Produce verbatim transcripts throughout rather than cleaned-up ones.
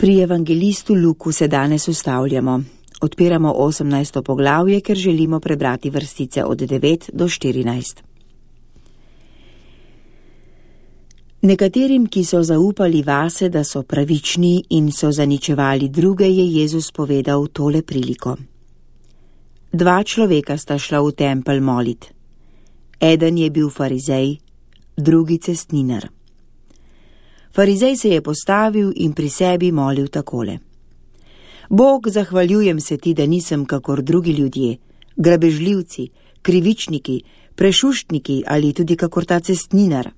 Pri evangelistu Luku se danes ustavljamo. Odpiramo osemnajsto poglavje, ker želimo prebrati vrstice od devet do štirinajst. Nekaterim, ki so zaupali vase, da so pravični in so zaničevali druge, je Jezus povedal tole priliko. Dva človeka sta šla v tempelj molit. Eden je bil farizej, drugi cestninar. Farizej se je postavil in pri sebi molil takole. Bog, zahvaljujem se ti, da nisem kakor drugi ljudje, grabežljivci, krivičniki, prešuštniki ali tudi kakor ta cestninar.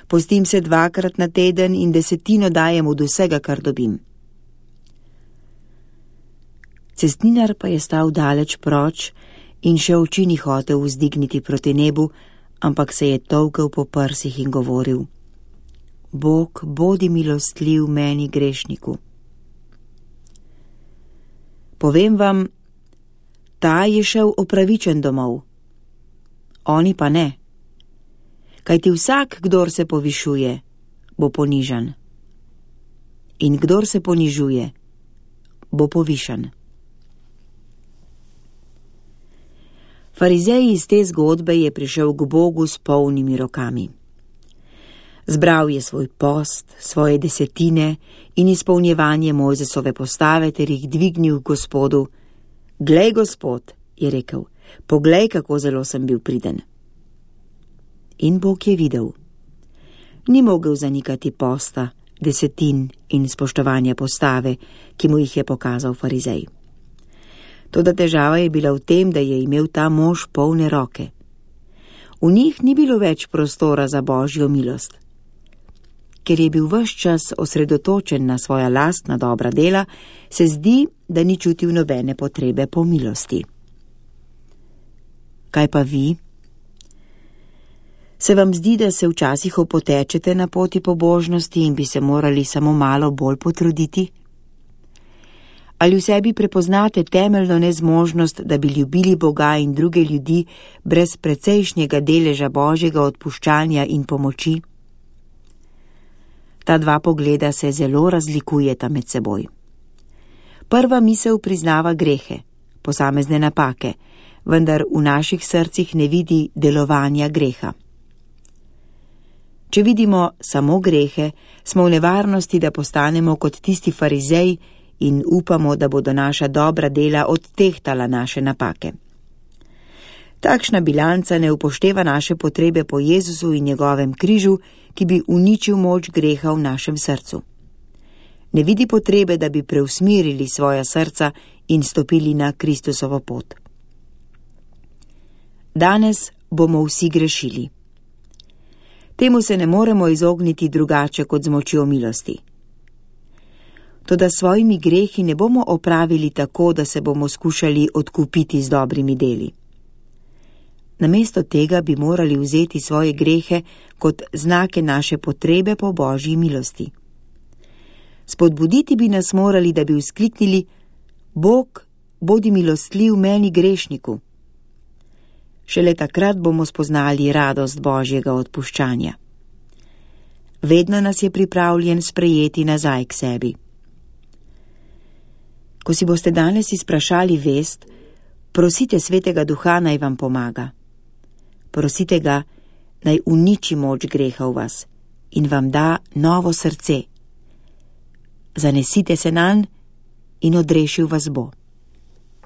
Postim se dvakrat na teden in desetino dajem od vsega, kar dobim. Cestninar pa je stal daleč proč in še oči ni hotel vzdigniti proti nebu, ampak se je tolkel po prsih in govoril: Bog, bodi milostljiv meni grešniku. Povem vam, ta je šel opravičen domov, oni pa ne. Kajti vsak, kdor se povišuje, bo ponižan. In kdor se ponižuje, bo povišan. Farizej iz te zgodbe je prišel k Bogu s polnimi rokami. Zbral je svoj post, svoje desetine in izpolnjevanje Mojzesove postave ter jih dvignil k Gospodu. Glej, Gospod, je rekel, poglej, kako zelo sem bil priden. In Bog je videl. Ni mogel zanikati posta, desetin in spoštovanja postave, ki mu jih je pokazal farizej. Toda težava je bila v tem, da je imel ta mož polne roke. V njih ni bilo več prostora za Božjo milost. Ker je bil ves čas osredotočen na svoja lastna dobra dela, se zdi, da ni čutil nobene potrebe po milosti. Kaj pa vi? Se vam zdi, da se včasih opotečete na poti pobožnosti in bi se morali samo malo bolj potruditi? Ali v sebi prepoznate temeljno nezmožnost, da bi ljubili Boga in druge ljudi brez precejšnjega deleža Božjega odpuščanja in pomoči? Ta dva pogleda se zelo razlikujeta med seboj. Prva misel priznava grehe, posamezne napake, vendar v naših srcih ne vidi delovanja greha. Če vidimo samo grehe, smo v nevarnosti, da postanemo kot tisti farizej in upamo, da bodo naša dobra dela odtehtala naše napake. Takšna bilanca ne upošteva naše potrebe po Jezusu in njegovem križu, ki bi uničil moč greha v našem srcu. Ne vidi potrebe, da bi preusmerili svoja srca in stopili na Kristusovo pot. Danes bomo vsi grešili. Temu se ne moremo izogniti drugače kot z močjo milosti. Toda svojimi grehi ne bomo opravili tako, da se bomo skušali odkupiti z dobrimi deli. Namesto tega bi morali vzeti svoje grehe kot znake naše potrebe po Božji milosti. Spodbuditi bi nas morali, da bi vzkliknili: Bog, bodi milostljiv meni grešniku. Šele takrat bomo spoznali radost Božjega odpuščanja. Vedno nas je pripravljen sprejeti nazaj k sebi. Ko si boste danes izprašali vest, prosite Svetega Duha, naj vam pomaga. Prosite ga, naj uniči moč greha v vas in vam da novo srce. Zanesite se nanj in odrešil vas bo.